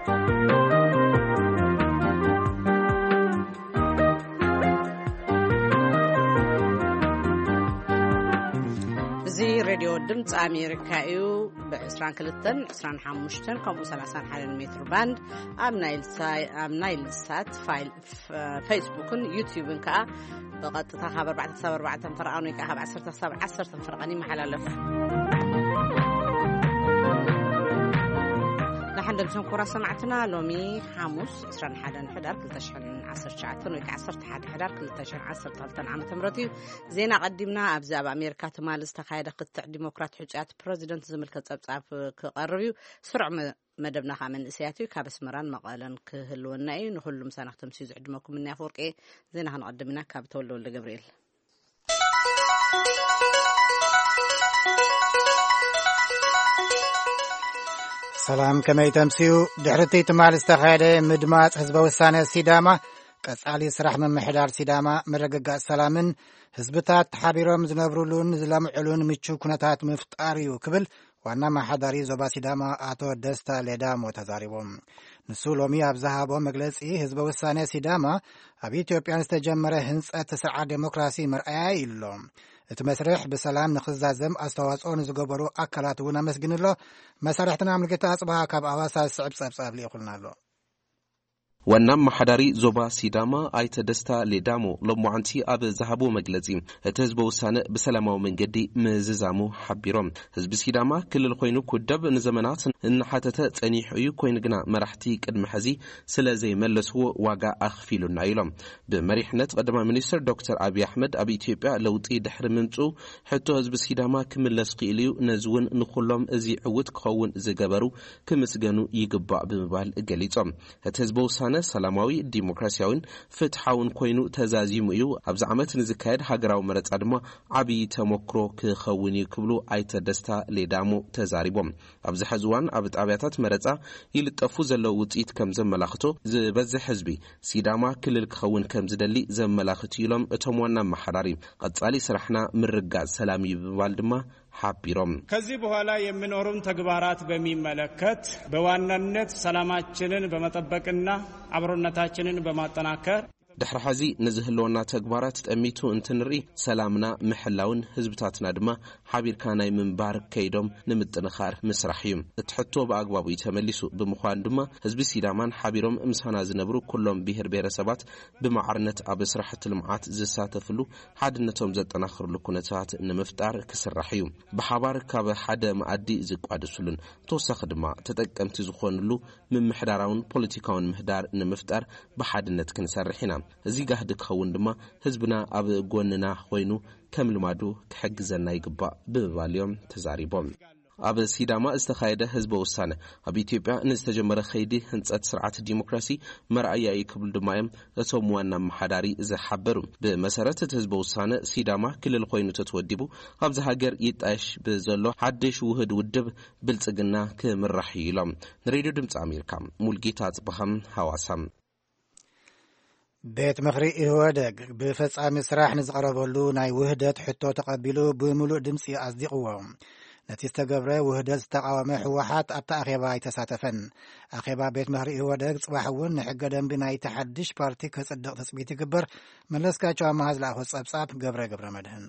እዚ ሬድዮ ድምፂ ኣሜሪካ እዩ። ብ22፣ 25 ከምኡ 31 ሜትር ባንድ ኣብ ናይል ሳት ፌስቡክን ዩቲዩብን ከዓ ብቐጥታ ካብ ኣርባዕተ ክሳብ ኣርባዕተ ፈረቓን ወይ ከዓ ካብ ዓሰርተ ክሳብ ዓሰርተ ፈረቓን ይመሓላለፍ። ንሓንደምሶም ኩራ ሰማዕትና፣ ሎሚ ሓሙስ 21 ሕዳር 2019 ወይ ከዓ 11 ሕዳር 2012 ዓመተ ምህረት እዩ። ዜና ቀዲምና። ኣብዚ ኣብ ኣሜሪካ ትማሊ ዝተኻየደ ክትዕ ዲሞክራት ሕፁያት ፕረዚደንት ዝምልከት ፀብፃብ ክቐርብ እዩ። ስሩዕ መደብና ከዓ መንእሰያት እዩ። ካብ ኣስመራን መቐለን ክህልወና እዩ። ንኩሉ ምሳና ክተምስዩ ዝዕድመኩም እኒ ኣፈወርቂ። ዜና ክንቐድም ኢና ካብ ተወልደ ወልደ ገብርኤል። ሰላም፣ ከመይ ተምስዩ? ድሕሪ እቲ ትማሊ ዝተኻየደ ምድማፅ ህዝበ ውሳነ ሲዳማ፣ ቀጻሊ ስራሕ ምምሕዳር ሲዳማ፣ ምርግጋፅ ሰላምን ህዝብታት ተሓቢሮም ዝነብሩሉን ዝለምዕሉን ምቹ ኩነታት ምፍጣር እዩ ክብል ዋና ኣመሓዳሪ ዞባ ሲዳማ ኣቶ ደስታ ሌዳሞ ተዛሪቦም። ንሱ ሎሚ ኣብ ዝሃቦ መግለጺ፣ ህዝበ ውሳነ ሲዳማ ኣብ ኢትዮጵያ ዝተጀመረ ህንጸት ስርዓት ዴሞክራሲ መርኣያ እዩ ኣሎ። እቲ መስርሕ ብሰላም ንኽዛዘም ኣስተዋጽኦ ንዝገበሩ ኣካላት እውን ኣመስግን ኣሎ። መሳርሕትና ሙልጌታ ኣጽብሃ ካብ ኣዋሳ ዝስዕብ ጸብጻብ ልኢኹልና ኣሎ። ዋና ኣመሓዳሪ ዞባ ሲዳማ ኣይተ ደስታ ሌዳሞ ሎማዓንቲ ኣብ ዝሃብዎ መግለጺ፣ እቲ ህዝበ ውሳነ ብሰላማዊ መንገዲ ምዝዛሙ ሓቢሮም። ህዝቢ ሲዳማ ክልል ኮይኑ ኩደብ ንዘመናት እናሓተተ ጸኒሑ እዩ፣ ኮይኑ ግና መራሕቲ ቅድሚ ሕዚ ስለ ዘይመለስዎ ዋጋ ኣኽፊሉና ኢሎም። ብመሪሕነት ቀዳማይ ሚኒስትር ዶክተር ኣብይ ኣሕመድ ኣብ ኢትዮጵያ ለውጢ ድሕሪ ምምጽኡ ሕቶ ህዝቢ ሲዳማ ክምለስ ክኢሉ እዩ። ነዚ እውን ንኩሎም እዚ ዕውት ክኸውን ዝገበሩ ክምስገኑ ይግባእ ብምባል ገሊጾም። እቲ ህዝበ ውሳነ ሰላማዊ፣ ዲሞክራሲያዊን ፍትሓውን ኮይኑ ተዛዚሙ እዩ። ኣብዚ ዓመት ንዝካየድ ሃገራዊ መረጻ ድማ ዓብዪ ተመክሮ ክኸውን እዩ ክብሉ ኣይተ ደስታ ሌዳሞ ተዛሪቦም። ኣብዚ ሕዚ እዋን ኣብ ጣብያታት መረጻ ይልጠፉ ዘለዉ ውጽኢት ከም ዘመላኽቶ፣ ዝበዝሕ ህዝቢ ሲዳማ ክልል ክኸውን ከም ዝደሊ ዘመላኽት እዩ ኢሎም እቶም ዋና ኣመሓዳሪ። ቀጻሊ ስራሕና ምርጋጽ ሰላም እዩ ብምባል ድማ ሓቢሮም። ከዚህ በኋላ የሚኖሩን ተግባራት በሚመለከት በዋናነት ሰላማችንን በመጠበቅና አብሮነታችንን በማጠናከር ድሕሪ ሕዚ ንዝህልወና ተግባራት ጠሚቱ እንትንርኢ፣ ሰላምና ምሕላውን ህዝብታትና ድማ ሓቢርካ ናይ ምንባር ከይዶም ንምጥንኻር ምስራሕ እዩ። እቲ ሕቶ ብኣግባቡ እዩ ተመሊሱ። ብምዃኑ ድማ ህዝቢ ሲዳማን ሓቢሮም ምሳና ዝነብሩ ኩሎም ብሄር ብሄረሰባት ብማዕርነት ኣብ ስራሕቲ ልምዓት ዝሳተፍሉ፣ ሓድነቶም ዘጠናኽርሉ ኩነታት ንምፍጣር ክስራሕ እዩ። ብሓባር ካብ ሓደ መኣዲ ዝቋደስሉን ተወሳኺ ድማ ተጠቀምቲ ዝኾንሉ ምምሕዳራውን ፖለቲካውን ምህዳር ንምፍጣር ብሓድነት ክንሰርሕ ኢና። እዚ ጋህዲ ክኸውን ድማ ህዝብና ኣብ ጎንና ኮይኑ ከም ልማዱ ክሕግዘና ይግባእ ብምባል እዮም ተዛሪቦም። ኣብ ሲዳማ ዝተኻየደ ህዝበ ውሳነ ኣብ ኢትዮጵያ ንዝተጀመረ ከይዲ ህንፀት ስርዓት ዲሞክራሲ መርኣያ እዩ ክብሉ ድማ እዮም እቶም ዋና ኣመሓዳሪ ዝሓበሩ። ብመሰረት እቲ ህዝበ ውሳነ፣ ሲዳማ ክልል ኮይኑ ተተወዲቡ ኣብዚ ሃገር ይጣየሽ ብዘሎ ሓድሽ ውህድ ውድብ ብልጽግና ክምራሕ እዩ ኢሎም። ንሬድዮ ድምፂ ኣሜሪካ ሙልጌታ ኣጽብሃም ሃዋሳ። ቤት ምኽሪ ኢህወደግ ብፈጻሚ ስራሕ ንዝቐረበሉ ናይ ውህደት ሕቶ ተቐቢሉ ብምሉእ ድምፂ ኣጽዲቕዎ። ነቲ ዝተገብረ ውህደት ዝተቓወመ ህወሓት ኣብቲ ኣኼባ ኣይተሳተፈን። ኣኼባ ቤት ምኽሪ ኢህወደግ ጽባሕ እውን ንሕገ ደንቢ ናይቲ ሓድሽ ፓርቲ ክጽድቕ ትጽቢት ይግበር። መለስካቸው ኣማሃ ዝለኣኾ ጸብጻብ ገብረ ገብረ መድህን።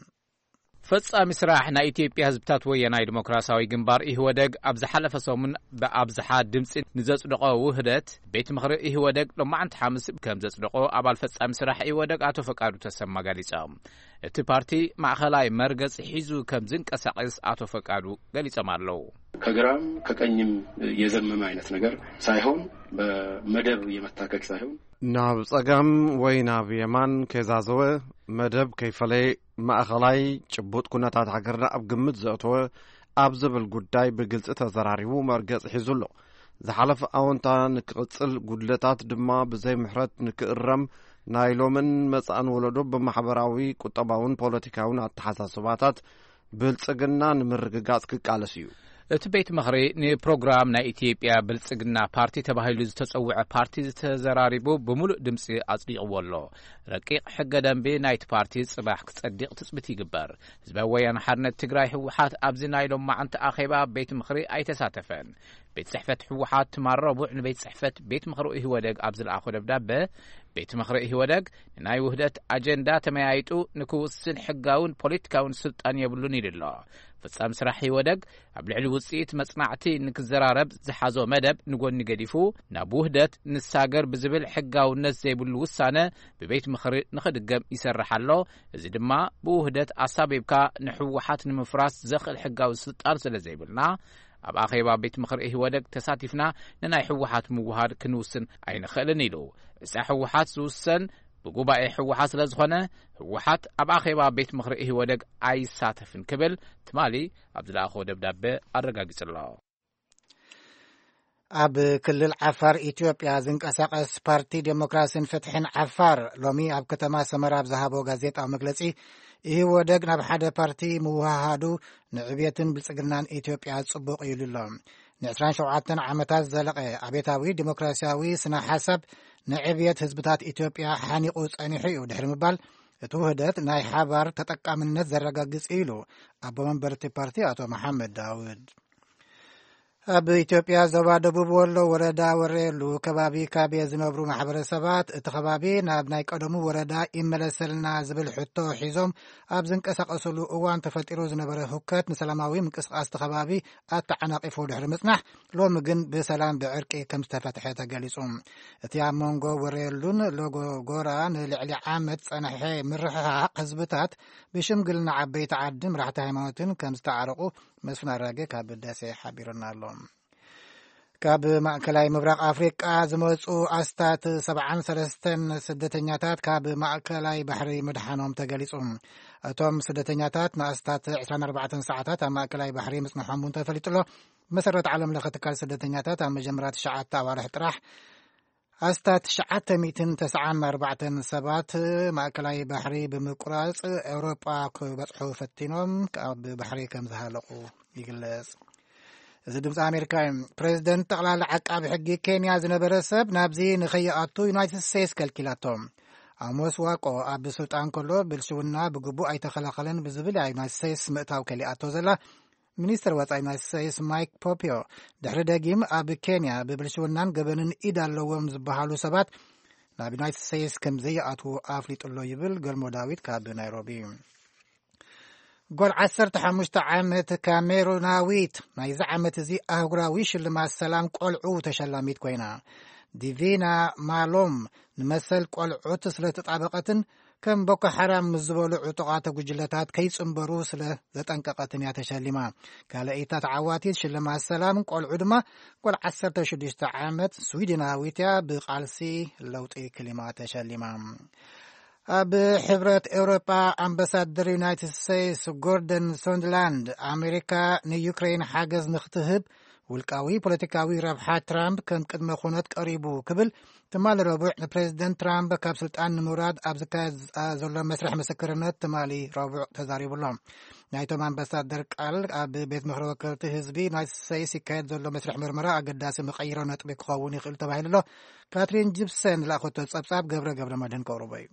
ፈጻሚ ስራሕ ናይ ኢትዮጵያ ህዝብታት ወያናይ ዲሞክራሲያዊ ግንባር ኢህወደግ ኣብ ዝሓለፈ ሰሙን ብኣብዝሓ ድምፂ ንዘጽደቖ ውህደት ቤት ምኽሪ ኢህወደግ ሎማዓንቲ ሓሙስ ከም ዘጽደቖ ኣባል ፈጻሚ ስራሕ ኢህወደግ ኣቶ ፈቃዱ ተሰማ ገሊጾም። እቲ ፓርቲ ማእኸላይ መርገጽ ሒዙ ከም ዝንቀሳቐስ ኣቶ ፈቃዱ ገሊጾም ኣለዉ። ከግራም ከቀኝም የዘመመ አይነት ነገር ሳይሆን በመደብ የመታከክ ሳይሆን ናብ ጸጋም ወይ ናብ የማን ከይዛዘወ፣ መደብ ከይፈለየ፣ ማእኸላይ ጭቡጥ ኩነታት ሃገርና ኣብ ግምት ዘእተወ ኣብ ዝብል ጉዳይ ብግልጺ ተዘራሪቡ መርገጽ ሒዙ ኣሎ። ዝሓለፈ ኣወንታ ንክቕጽል፣ ጉድለታት ድማ ብዘይ ምሕረት ንክእረም፣ ናይ ሎምን መጻእን ወለዶ ብማሕበራዊ፣ ቁጠባውን ፖለቲካውን ኣተሓሳስባታት ብልጽግና ንምርግጋጽ ክቃለስ እዩ። እቲ ቤት ምኽሪ ንፕሮግራም ናይ ኢትዮጵያ ብልጽግና ፓርቲ ተባሂሉ ዝተጸውዐ ፓርቲ ዝተዘራሪቡ ብምሉእ ድምጺ ኣጽዲቕዎ ኣሎ። ረቂቕ ሕገ ደንቢ ናይቲ ፓርቲ ጽባሕ ክጸድቕ ትጽቢት ይግበር። ህዝባዊ ወያነ ሓርነት ትግራይ ህወሓት ኣብዚ ናይ ሎማዓንቲ ኣኼባ ቤት ምኽሪ ኣይተሳተፈን። ቤት ጽሕፈት ህወሓት ትማል ረቡዕ ንቤት ጽሕፈት ቤት ምኽሪ ኢህወደግ ኣብ ዝለኣኾ ደብዳበ፣ ቤት ምኽሪ ኢህወደግ ንናይ ውህደት ኣጀንዳ ተመያይጡ ንክውስን ሕጋውን ፖለቲካውን ስልጣን የብሉን ኢሉ ኣሎ። ፈጻሚ ስራሕ ኢህወደግ ኣብ ልዕሊ ውጽኢት መጽናዕቲ ንክዘራረብ ዝሓዞ መደብ ንጎኒ ገዲፉ፣ ናብ ውህደት ንሳገር ብዝብል ሕጋውነት ዘይብሉ ውሳነ ብቤት ምኽሪ ንኽድገም ይሰርሕ ኣሎ። እዚ ድማ ብውህደት ኣሳቢብካ ንሕወሓት ንምፍራስ ዘኽእል ሕጋዊ ስልጣን ስለ ዘይብልና፣ ኣብ ኣኼባ ቤት ምኽሪ ኢህወደግ ተሳቲፍና ንናይ ሕወሓት ምውሃድ ክንውስን ኣይንኽእልን ኢሉ። እዛ ሕወሓት ዝውሰን ብጉባኤ ህወሓት ስለ ዝኾነ፣ ህወሓት ኣብ ኣኼባ ቤት ምኽሪ ኢህወደግ ኣይሳተፍን ክብል ትማሊ ኣብ ዝለኣኾ ደብዳበ ኣረጋጊጹ ኣሎ። ኣብ ክልል ዓፋር ኢትዮጵያ ዝንቀሳቐስ ፓርቲ ዴሞክራሲን ፍትሕን ዓፋር ሎሚ ኣብ ከተማ ሰመራ ኣብ ዝሃቦ ጋዜጣዊ መግለጺ፣ ኢህወደግ ናብ ሓደ ፓርቲ ምውሃሃዱ ንዕብየትን ብልጽግናን ኢትዮጵያ ጽቡቕ ኢሉ ኣሎ። ን27 ዓመታት ዝዘለቐ ኣቤታዊ ዴሞክራሲያዊ ስነ ሓሳብ ንዕብየት ህዝብታት ኢትዮጵያ ሓኒቑ ጸኒሑ እዩ ድሕሪ ምባል፣ እቲ ውህደት ናይ ሓባር ተጠቃምነት ዘረጋግጽ እዩ ኢሉ ኣቦ መንበር እቲ ፓርቲ ኣቶ መሓመድ ዳውድ። ኣብ ኢትዮጵያ ዞባ ደቡብ ወሎ ወረዳ ወረየሉ ከባቢ ካብ ዝነብሩ ማሕበረሰባት እቲ ከባቢ ናብ ናይ ቀደሙ ወረዳ ይመለሰልና ዝብል ሕቶ ሒዞም ኣብ ዝንቀሳቀስሉ እዋን ተፈጢሩ ዝነበረ ሁከት ንሰላማዊ ምንቅስቃስ እቲ ከባቢ ኣተዓናቂፉ ድሕሪ ምጽናሕ ሎሚ ግን ብሰላም ብዕርቂ ከም ዝተፈትሐ ተገሊጹ። እቲ ኣብ መንጎ ወረየሉን ሎጎጎራ ንልዕሊ ዓመት ጸንሐ ምርሕሓቕ ህዝብታት ብሽምግልና ዓበይቲ ዓዲ መራሕቲ ሃይማኖትን ከም ዝተዓረቑ መስፍን ኣራጌ ካብ ደሴ ሓቢሩና ኣሎ። ካብ ማእከላይ ምብራቕ ኣፍሪቃ ዝመጹ ኣስታት 73 ስደተኛታት ካብ ማእከላይ ባሕሪ ምድሓኖም ተገሊጹ። እቶም ስደተኛታት ንኣስታት 24 ሰዓታት ኣብ ማእከላይ ባሕሪ ምጽንሖም እውን ተፈሊጡ ኣሎ። ብመሰረት ዓለም ለኸ ትካል ስደተኛታት ኣብ መጀመርያ ትሽዓተ ኣዋርሕ ጥራሕ ኣስታት 994 ሰባት ማእከላይ ባሕሪ ብምቁራጽ ኤውሮጳ ክበጽሑ ፈቲኖም ካብ ባሕሪ ከም ዝሃለቑ ይግለጽ። እዚ ድምፂ ኣሜሪካ እዩ። ፕሬዚደንት ጠቕላላ ዓቃቢ ሕጊ ኬንያ ዝነበረ ሰብ ናብዚ ንኸይኣቱ ዩናይትድ ስቴትስ ከልኪላቶ። ኣሞስ ዋቆ ኣብ ስልጣን ከሎ ብልሽውና ብግቡእ ኣይተኸላኸለን ብዝብል እያ ዩናይትድ ስቴትስ ምእታው ከሊኣቶ ዘላ። ሚኒስትር ወፃኢ ዩናይትድ ስቴትስ ማይክ ፖምፒዮ ድሕሪ ደጊም ኣብ ኬንያ ብብልሽውናን ገበንን ኢድ ኣለዎም ዝበሃሉ ሰባት ናብ ዩናይትድ ስቴትስ ከም ዘይኣትዉ ኣፍሊጡ ኣሎ ይብል ገልሞ ዳዊት ካብ ናይሮቢ። ጓል 15 ዓመት ካሜሩናዊት ናይዚ ዓመት እዚ ኣህጉራዊ ሽልማት ሰላም ቆልዑ ተሸላሚት ኮይና። ዲቪና ማሎም ንመሰል ቆልዑት ስለ ተጣበቐትን ከም ቦኮ ሓራም ምስ ዝበሉ ዕጡቓት ጉጅለታት ከይጽንበሩ ስለ ዘጠንቀቐትን እያ ተሸሊማ። ካልኣይታ ተዓዋቲት ሽልማት ሰላም ቆልዑ ድማ ጓል 16 ዓመት ስዊድናዊት እያ፣ ብቃልሲ ለውጢ ክሊማ ተሸሊማ። ኣብ ሕብረት ኤውሮጳ ኣምባሳደር ዩናይትድ ስቴትስ ጎርደን ሶንድላንድ ኣሜሪካ ንዩክሬን ሓገዝ ንክትህብ ውልቃዊ ፖለቲካዊ ረብሓ ትራምፕ ከም ቅድመ ኩነት ቀሪቡ ክብል ትማሊ ረቡዕ ንፕሬዚደንት ትራምፕ ካብ ስልጣን ንምውራድ ኣብ ዝካየድ ዘሎ መስርሕ ምስክርነት ትማሊ ረቡዕ ተዛሪቡ ኣሎ። ናይቶም ኣምባሳደር ቃል ኣብ ቤት ምኽሪ ወከልቲ ህዝቢ ዩናይትድ ስቴትስ ይካየድ ዘሎ መስርሕ ምርመራ ኣገዳሲ መቐይሮ ነጥቢ ክኸውን ይኽእል ተባሂሉ ኣሎ። ካትሪን ጂፕሰን ዝለኣኸቶ ጸብጻብ ገብረ ገብረ መድህን ከቕርቦ እዩ።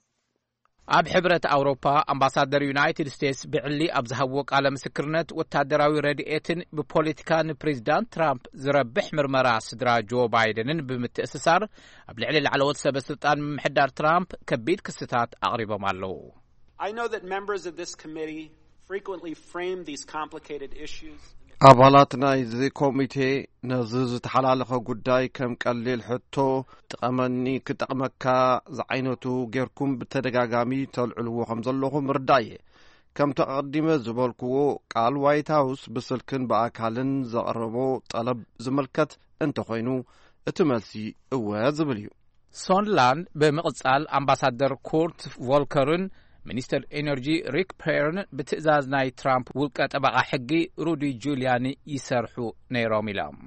ኣብ ሕብረት ኣውሮፓ ኣምባሳደር ዩናይትድ ስቴትስ ብዕሊ ኣብ ዝሃብዎ ቃለ ምስክርነት፣ ወታደራዊ ረድኤትን ብፖለቲካ ንፕሬዚዳንት ትራምፕ ዝረብሕ ምርመራ ስድራ ጆ ባይደንን ብምትእስሳር ኣብ ልዕሊ ላዕለዎት ሰበ ስልጣን ምምሕዳር ትራምፕ ከቢድ ክስታት ኣቕሪቦም ኣለዉ። I know that members of this committee frequently frame these complicated issues. ኣባላት ናይዚ ኮሚቴ ነዚ ዝተሓላለኸ ጉዳይ ከም ቀሊል ሕቶ፣ "ጥቀመኒ፣ ክጠቕመካ" ዝዓይነቱ ጌርኩም ብተደጋጋሚ ተልዕልዎ ከም ዘለኹም ርዳእ እየ። ከምቲ ኣቐዲመ ዝበልክዎ፣ ቃል ዋይት ሃውስ ብስልክን ብኣካልን ዘቕረቦ ጠለብ ዝምልከት እንተኾይኑ፣ እቲ መልሲ እወ ዝብል እዩ። ሶንላንድ ብምቕጻል ኣምባሳደር ኩርት ቮልከርን ሚኒስተር ኤነርጂ ሪክ ፔርን ብትእዛዝ ናይ ትራምፕ ውልቀ ጠበቓ ሕጊ ሩዲ ጁልያኒ ይሰርሑ ነይሮም ኢሎም።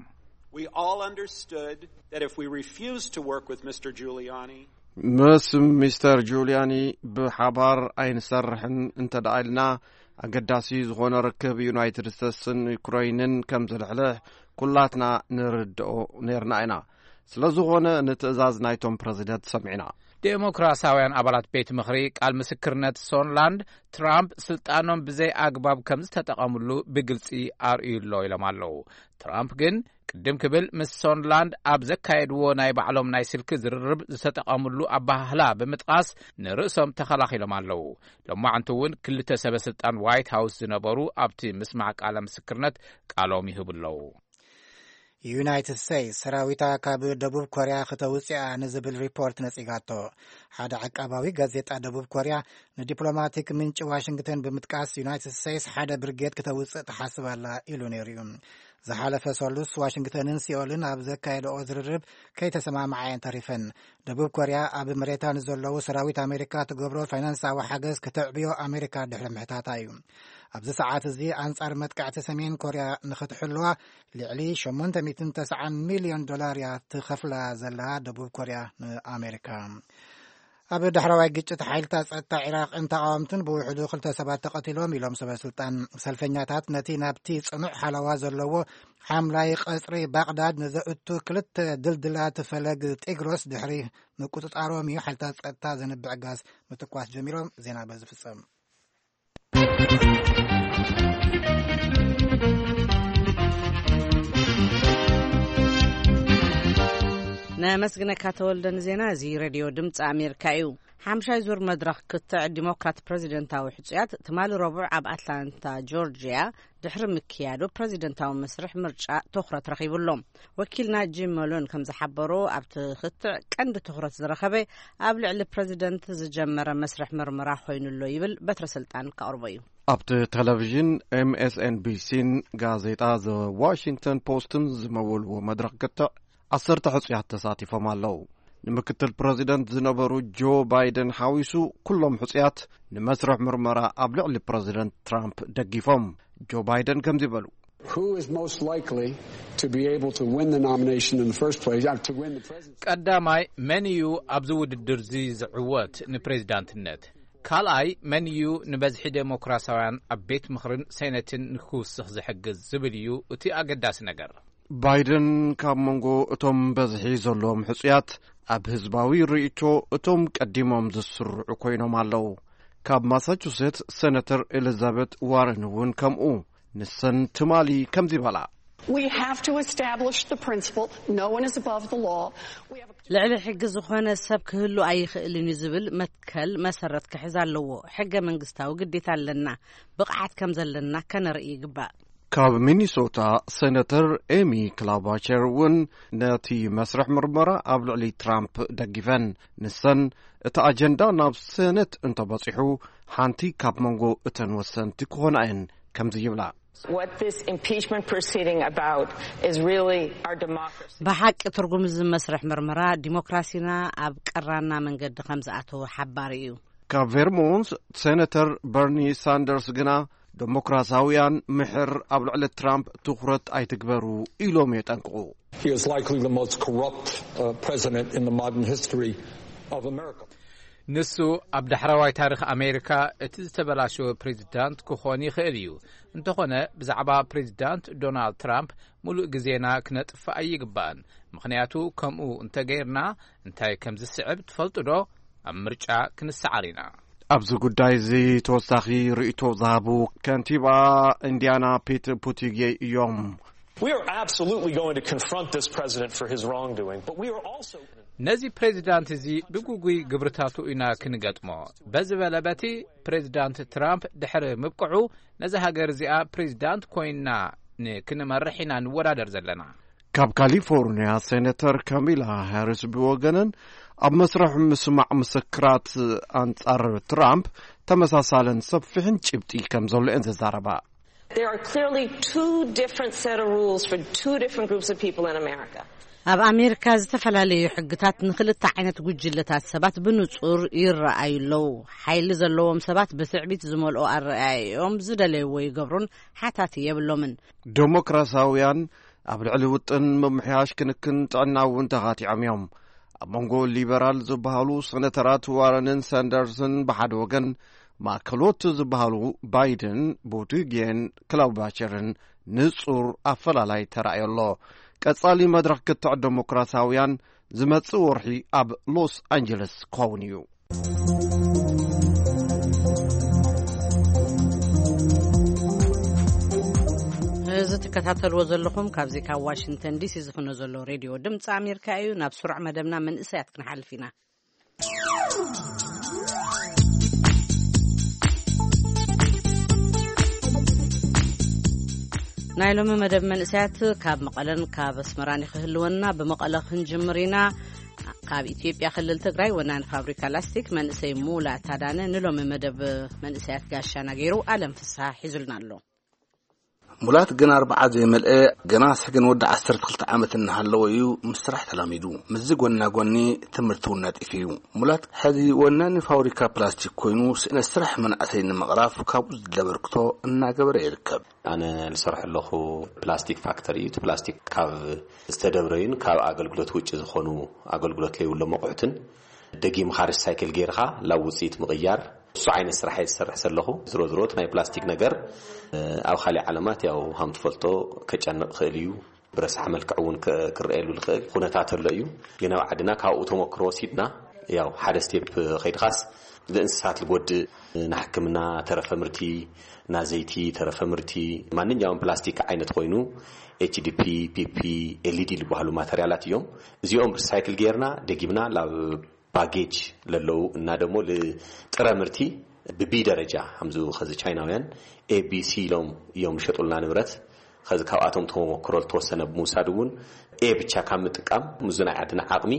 We all understood that if we refused to work with Mister Giuliani, ምስ ሚስተር ጁልያኒ ብሓባር ኣይንሰርሕን እንተ ደኣ ኢልና፣ ኣገዳሲ ዝኾነ ርክብ ዩናይትድ ስቴትስን ዩክረይንን ከም ዝልሕልሕ ኩላትና ንርድኦ ነርና ኢና። ስለ ዝኾነ ንትእዛዝ ናይቶም ፕረዚደንት ሰሚዕና። ዴሞክራሲያውያን ኣባላት ቤት ምኽሪ ቃል ምስክርነት ሶንላንድ ትራምፕ ስልጣኖም ብዘይ ኣግባብ ከም ዝተጠቐምሉ ብግልጺ ኣርእዩ ኣሎ ኢሎም ኣለዉ። ትራምፕ ግን ቅድም ክብል ምስ ሶንላንድ ኣብ ዘካየድዎ ናይ ባዕሎም ናይ ስልኪ ዝርርብ ዝተጠቐምሉ ኣባህላ ብምጥቓስ ንርእሶም ተኸላኺሎም ኣለዉ። ሎማዕንቲ እውን ክልተ ሰበ ስልጣን ዋይት ሃውስ ዝነበሩ ኣብቲ ምስማዕ ቃለ ምስክርነት ቃሎም ይህቡ ኣለዉ። ዩናይትድ ስቴትስ ሰራዊታ ካብ ደቡብ ኮርያ ክተውፅኣ ንዝብል ሪፖርት ነፂጋቶ። ሓደ ዓቃባዊ ጋዜጣ ደቡብ ኮርያ ንዲፕሎማቲክ ምንጪ ዋሽንግተን ብምጥቃስ ዩናይትድ ስቴትስ ሓደ ብርጌድ ክተውፅእ ትሓስብ ኣላ ኢሉ ነይሩ እዩ። ዝሓለፈ ሰሉስ ዋሽንግተንን ሲኦልን ኣብ ዘካየደኦ ዝርርብ ከይተሰማምዓ እየን ተሪፈን። ደቡብ ኮርያ ኣብ መሬታ ንዘለዉ ሰራዊት ኣሜሪካ ትገብሮ ፋይናንሳዊ ሓገዝ ክተዕብዮ ኣሜሪካ ድሕሪ ምሕታታ እዩ። ኣብዚ ሰዓት እዚ ኣንጻር መጥቃዕቲ ሰሜን ኮርያ ንኽትሕልዋ ልዕሊ ሸሞንተ ሚእትን ተስዓን ሚልዮን ዶላር እያ ትኸፍላ ዘላ ደቡብ ኮርያ ንኣሜሪካ። ኣብ ዳሕረዋይ ግጭት ሓይልታት ጸጥታ ዒራቕን ተቓወምትን ብውሕዱ ክልተ ሰባት ተቐቲሎም ኢሎም ሰበ ስልጣን። ሰልፈኛታት ነቲ ናብቲ ጽኑዕ ሓለዋ ዘለዎ ሓምላይ ቀጽሪ ባቕዳድ ንዘእቱ ክልተ ድልድላት ፈለግ ጢግሮስ ድሕሪ ምቁጽጻሮም እዩ ሓይልታት ጸጥታ ዘንብዕ ጋዝ ምትኳስ ጀሚሮም። ዜና በዚ ፍጸም። ነመስግነካ ተወልደ ንዜና እዚ። ሬድዮ ድምፂ ኣሜሪካ እዩ። ሓምሻይ ዙር መድረኽ ክትዕ ዲሞክራት ፕረዚደንታዊ ሕፁያት ትማሊ ረቡዕ ኣብ ኣትላንታ ጆርጅያ ድሕሪ ምክያዱ ፕረዚደንታዊ መስርሕ ምርጫ ትኹረት ረኺቡ ኣሎ። ወኪልና ጂም መሎን ከም ዝሓበሮ ኣብቲ ክትዕ ቀንዲ ትኹረት ዝረኸበ ኣብ ልዕሊ ፕረዚደንት ዝጀመረ መስርሕ ምርመራ ኮይኑ ኣሎ ይብል። በትረ ስልጣን ከቕርቦ እዩ። ኣብቲ ቴሌቪዥን ኤምኤስኤንቢሲን ጋዜጣ ዘ ዋሽንግተን ፖስትን ዝመወልዎ መድረኽ ክትዕ ዓሰርተ ሕጹያት ተሳቲፎም ኣለዉ። ንምክትል ፕረዚደንት ዝነበሩ ጆ ባይደን ሓዊሱ ኩሎም ሕጹያት ንመስርሕ ምርመራ ኣብ ልዕሊ ፕረዚደንት ትራምፕ ደጊፎም። ጆ ባይደን ከምዚ በሉ። Who is most likely to be able to win the nomination in the first place, uh, to win the presidency? ቀዳማይ መን እዩ ኣብዚ ውድድር እዚ ዝዕወት ንፕሬዚዳንትነት? ካልኣይ መን እዩ ንበዝሒ ዴሞክራሲያውያን ኣብ ቤት ምኽርን ሴነትን ንክውስኽ ዝሕግዝ ዝብል እዩ እቲ ኣገዳሲ ነገር። ባይደን ካብ መንጎ እቶም በዝሒ ዘለዎም ሕጹያት ኣብ ህዝባዊ ርእይቶ እቶም ቀዲሞም ዝስርዑ ኮይኖም ኣለዉ። ካብ ማሳቹሴትስ ሴነተር ኤሊዛቤት ዋረን እውን ከምኡ። ንሰን ትማሊ ከምዚ በላ። We have to establish the principle, no one is above the law. We have a ልዕሊ ሕጊ ዝኾነ ሰብ ክህሉ ኣይኽእልን እዩ ዝብል መትከል መሰረት ክሕዝ ኣለዎ። ሕገ መንግስታዊ ግዴታ ኣለና። ብቕዓት ከም ዘለና ከነርኢ ይግባእ። ካብ ሚኒሶታ ሴነተር ኤሚ ክላባቸር እውን ነቲ መስርሕ ምርመራ ኣብ ልዕሊ ትራምፕ ደጊፈን። ንሰን እቲ ኣጀንዳ ናብ ሴኔት እንተበጺሑ ሓንቲ ካብ መንጎ እተን ወሰንቲ ክኾና እየን ከምዚ ይብላ። What this impeachment proceeding about is really our democracy. ብሓቂ ትርጉም እዚ መስርሕ ምርመራ ዲሞክራሲና ኣብ ቀራና መንገዲ ከም ዝኣተወ ሓባሪ እዩ። ካብ ቬርሞንት ሴነተር በርኒ ሳንደርስ ግና ዴሞክራሲያውያን ምሕር ኣብ ልዕሊ ትራምፕ ትኹረት ኣይትግበሩ ኢሎም የጠንቅቑ። He is likely the most corrupt, uh, president in the modern history of America. ንሱ ኣብ ዳሕረዋይ ታሪኽ ኣሜሪካ እቲ ዝተበላሸወ ፕሬዚዳንት ክኾን ይኽእል እዩ። እንተኾነ ብዛዕባ ፕሬዚዳንት ዶናልድ ትራምፕ ሙሉእ ግዜና ክነጥፍእ ኣይግባእን። ምኽንያቱ ከምኡ እንተገይርና እንታይ ከም ዝስዕብ ትፈልጡ ዶ? ኣብ ምርጫ ክንሰዓር ኢና። ኣብዚ ጉዳይ እዚ ተወሳኺ ርእይቶ ዝሃቡ ከንቲባ ኢንዲያና ፒት ቡቲጌ እዮም። We are absolutely going to confront this president for his wrongdoing, but we are also ነዚ ፕሬዚዳንት እዚ ብጉጉይ ግብርታቱ ኢና ክንገጥሞ። በዚ በለ በቲ ፕሬዚዳንት ትራምፕ ድሕሪ ምብቅዑ ነዚ ሃገር እዚኣ ፕሬዚዳንት ኮይንና ንክንመርሕ ኢና ንወዳደር ዘለና። ካብ ካሊፎርንያ ሴነተር ካሚላ ሃሪስ ብወገነን ኣብ መስርሕ ምስማዕ ምስክራት ኣንጻር ትራምፕ ተመሳሳልን ሰፊሕን ጭብጢ ከም ዘሎ እየን ዝዛረባ። There are clearly two different set of rules for two different groups of people in America. ኣብ ኣሜሪካ ዝተፈላለዩ ሕግታት ንክልተ ዓይነት ጉጅለታት ሰባት ብንጹር ይረኣዩ ኣለዉ። ሓይሊ ዘለዎም ሰባት ብትዕቢት ዝመልኦ ኣረኣእያኦም ዝደለይዎ ይገብሩን ሓታቲ የብሎምን። ዴሞክራሲያውያን ኣብ ልዕሊ ውጥን ምምሕያሽ ክንክን ጥዕና እውን ተኻቲዖም እዮም። ኣብ መንጎ ሊበራል ዝበሃሉ ሴነተራት ዋረንን ሳንደርስን ብሓደ ወገን፣ ማእከሎት ዝበሃሉ ባይደን፣ ቡቲጌን ክላውባቸርን ንጹር ኣፈላላይ ተራእዮ ኣሎ። ቀጻሊ መድረኽ ክትዕ ዴሞክራሲያውያን ዝመጽእ ወርሒ ኣብ ሎስ ኣንጀለስ ክኸውን እዩ። እዚ ትከታተልዎ ዘለኹም ካብዚ ካብ ዋሽንግተን ዲሲ ዝፍኖ ዘሎ ሬድዮ ድምፂ ኣሜሪካ እዩ። ናብ ስሩዕ መደብና መንእሰያት ክንሓልፍ ኢና። ናይ ሎሚ መደብ መንእሰያት ካብ መቐለን ካብ ኣስመራን ክህልወና። ብመቐለ ክንጅምር ኢና። ካብ ኢትዮጵያ ክልል ትግራይ ወናኒ ፋብሪካ ላስቲክ መንእሰይ ሙላ ታዳነ ንሎሚ መደብ መንእሰያት ጋሻና ገይሩ ኣለም ፍስሓ ሒዙልና ኣሎ። ሙላት ግን ኣርብዓ ዘይመልአ፣ ገና ስሕግን ወዲ ዓሰርተ ክልተ ዓመት እናሃለወ እዩ ምስ ስራሕ ተላሚዱ። ምስዚ ጎና ጎኒ ትምህርቲ እውን ነጢፉ እዩ። ሙላት ሕዚ ወናኒ ፋብሪካ ፕላስቲክ ኮይኑ ስእነት ስራሕ መናእሰይ ንምቕራፍ ካብኡ ዝድለ በርክቶ እናገበረ ይርከብ። ኣነ ዝሰርሐ ኣለኹ ፕላስቲክ ፋክተሪ እዩ። እቲ ፕላስቲክ ካብ ዝተደብረዩን ካብ ኣገልግሎት ውጭ ዝኾኑ ኣገልግሎት ለይብሎም ኣቑሑትን ደጊምኻ ሪሳይክል ጌርኻ ላብ ውፅኢት ምቕያር፣ እሱ ዓይነት ስራሕ እየ ዝሰርሕ ዘለኹ። ዝሮ ዝሮ እቲ ናይ ፕላስቲክ ነገር ኣብ ካሊእ ዓለማት ያው ሃም ትፈልጦ ከጨንቕ ክእል እዩ። ብረሳሕ መልክዕ እውን ክረኣየሉ ዝኽእል ኩነታት ኣሎ እዩ። ግን ኣብ ዓድና ካብኡ ተመክሮ ወሲድና ያው ሓደ ስቴፕ ከይድኻስ ንእንስሳት ዝጎድእ ንሕክምና ተረፈ ምርቲ፣ ናዘይቲ ተረፈ ምርቲ፣ ማንኛውም ፕላስቲክ ዓይነት ኮይኑ ኤችዲፒ፣ ፒፒ፣ ኤልኢዲ ዝበሃሉ ማተርያላት እዮም። እዚኦም ሪሳይክል ጌርና ደጊምና ላብ ባጌጅ ለለዉ እና ደሞ ልጥረ ምርቲ ብቢ ደረጃ ከምዚ ከዚ ቻይናውያን ኤቢሲ ኢሎም እዮም ዝሸጡልና ንብረት። ከዚ ካብኣቶም ተመክሮ ዝተወሰነ ብምውሳድ እውን ኤ ብቻ ካብ ምጥቃም ሙዚ ናይ ዓድና ዓቕሚ፣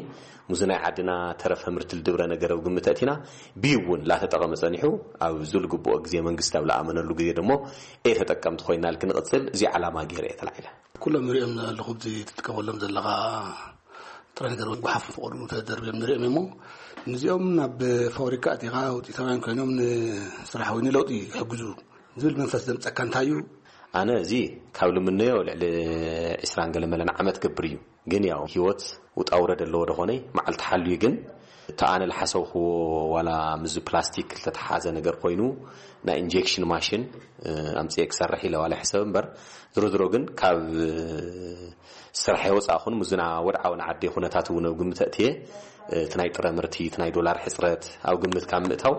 ሙዚ ናይ ዓድና ተረፈ ምርቲ ልድብረ ነገር ኣብ ግምት ኣእቲና ቢ እውን ላተጠቐመ ጸኒሑ ኣብ ዝልግብኦ ግዜ መንግስቲ ኣብ ለኣመነሉ ግዜ ደሞ ኤ ተጠቀምቲ ኮይና ልክንቕጽል እዚ ዓላማ ገይረ እየ ተላዒለ። ኩሎም ንሪኦም ኣለኹ ኣብዚ ትጥቀመሎም ዘለኻ ጥረ ነገር ጓሓፍ ፈቐዱ ተደርብዮም ንሪኦም እሞ ንዚኦም ናብ ፋብሪካ ኣቲኻ ውፅኢታውያን ኮይኖም ንስራሕ ወይ ንለውጢ ይሕግዙ ዝብል መንፈስ ዘምፀካ እንታይ እዩ? ኣነ እዚ ካብ ልምነዮ ልዕሊ ዕስራን ገለ መለን ዓመት ገብር እዩ። ግን ያው ህይወት ውጣ ውረድ ኣለዎ ደኾነይ መዓልቲ ሓልዩ ግን እቲ ኣነ ልሓሰብክዎ ዋላ ምዚ ፕላስቲክ ልተተሓዘ ነገር ኮይኑ ናይ ኢንጀክሽን ማሽን ኣምፅኤ ክሰርሕ ኢለ ዋላ ሕሰብ እምበር ዝሮ ዝሮ ግን ካብ ስራሕ የወፃእኹን ምዝና ወድዓዊ ንዓዲ ኩነታት እውን ኣብ ግምት ኣእትየ እቲ ናይ ጥረ ምርቲ እቲ ናይ ዶላር ሕፅረት ኣብ ግምት ካብ ምእታው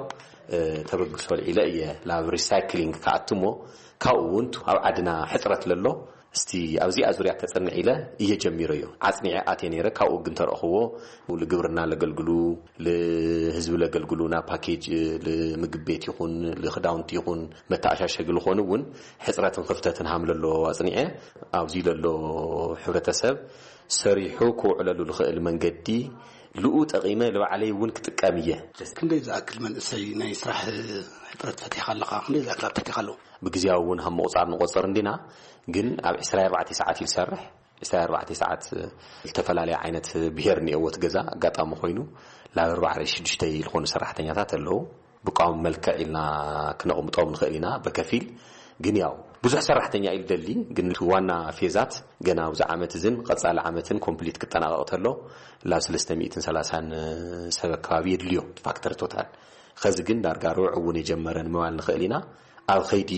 ተበግሶ ልዒለ እየ ናብ ሪሳይክሊንግ ክኣትሞ ካብኡ እውን ኣብ ዓድና ሕፅረት ለሎ እስቲ ኣብዚኣ ዙርያ ከፅንዕ ኢለ እየ ጀሚረዮ። ዓፅኒዐ ኣትየ ነይረ። ካብኡ ግን ተረእኽዎ ንግብርና ለገልግሉ ልህዝቢ ለገልግሉ ናብ ፓኬጅ ልምግብ ቤት ይኹን ልክዳውንቲ ይኹን መተኣሻሸጊ ልኾኑ እውን ሕፅረትን ክፍተትን ሃም ለሎ ኣፅኒዐ ኣብዚ ለሎ ሕብረተሰብ ሰሪሑ ክውዕለሉ ልኽእል መንገዲ ልኡ ጠቒመ ልባዕለይ እውን ክጥቀም እየ። ክንደይ ዝኣክል መንእሰይ ናይ ስራሕ ሕጥረት ፈቲሕካ ኣለኻ? ክንደይ ዝኣክል ኣብትሕትኻ ኣለዉ? ብግዜያዊ እውን ሃም ምቑፃር ንቆፅር እንዲና ግን ኣብ ዕስራ ኣርባዕተ ሰዓት እዩ ዝሰርሕ። ዕስራ ኣርባዕተ ሰዓት ዝተፈላለየ ዓይነት ብሄር እኒኦዎ እቲ ገዛ ኣጋጣሚ ኮይኑ ላብ ኣርባዕተ ሽዱሽተ ዝኾኑ ሰራሕተኛታት ኣለዉ። ብቋሚ መልክዕ ኢልና ክነቕምጦም ንኽእል ኢና በከፊል ግን ያው ብዙሕ ሰራሕተኛ እዩ ደሊ ግን ዋና ፌዛት ገና ኣብዚ ዓመት እዝን ቀፃሊ ዓመትን ኮምፕሊት ክጠናቐቕ ተሎ ላብ ሰለስተ ሚእትን ሰላሳን ሰብ ኣከባቢ የድልዮ ፋክተር ቶታል። ኸዚ ግን ዳርጋ ርብዕ እውን የጀመረ ንምባል ንኽእል ኢና። ኣብ ኸይዲ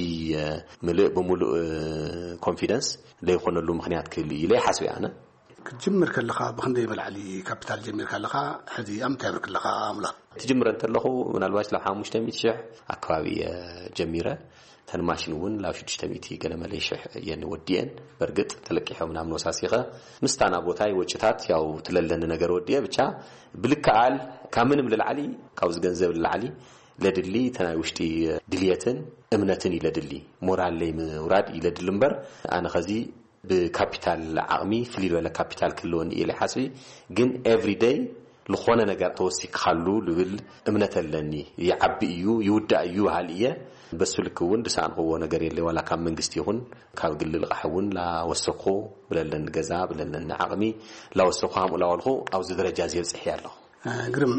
ምልእ ብምሉእ ኮንፊደንስ ዘይኮነሉ ምኽንያት ክህሉ እዩ ኢለ ይሓስብ ኣነ። ክትጅምር ከለኻ ብኽንደይ መላዕሊ ካፒታል ጀሚርካ ኣለኻ? ሕዚ ኣብ ምንታይ ብርክ ኣለኻ? ኣምላኽ ትጅምረ እንተለኹ ምናልባት ላብ ሓሙሽተ ሚእቲ ሽሕ ኣከባቢ እየ ጀሚረ። ተን ማሽን እውን ላብ ሽዱሽተ ሚእቲ ገለ መለ ሽሕ እየን ወዲኤን። በርግጥ ተለቂሖም ናብ ነወሳሲኸ ምስታና ቦታይ ወጭታት ያው ትለለኒ ነገር ወዲኤ ብቻ ብልክኣል ካብ ምንም ልላዕሊ ካብዚ ገንዘብ ልላዕሊ ለድሊ ተናይ ውሽጢ ድልየትን እምነትን ይለድሊ ሞራል ለይ ምውራድ ይለድሊ እምበር ኣነ ኸዚ ብካፒታል ዓቕሚ ፍልይ ዝበለ ካፒታል ክህልወኒ እየ ሓስቢ ግን ኤቭሪ ደይ ዝኾነ ነገር ተወሲክካሉ ልብል እምነት ኣለኒ። ይዓቢ እዩ ይውዳእ እዩ በሃል እየ። በሱ ልክ እውን ድሰኣንክዎ ነገር የለ ዋላ ካብ መንግስቲ ይኹን ካብ ግሊ ልቓሕ እውን ላወሰኩ ብለለኒ ገዛ ብለለኒ ዓቕሚ ላወሰኩ ሃምኡ ላወልኩ ኣብዚ ደረጃ እዚ የብፅሕ እየ ኣለኹ። ግርም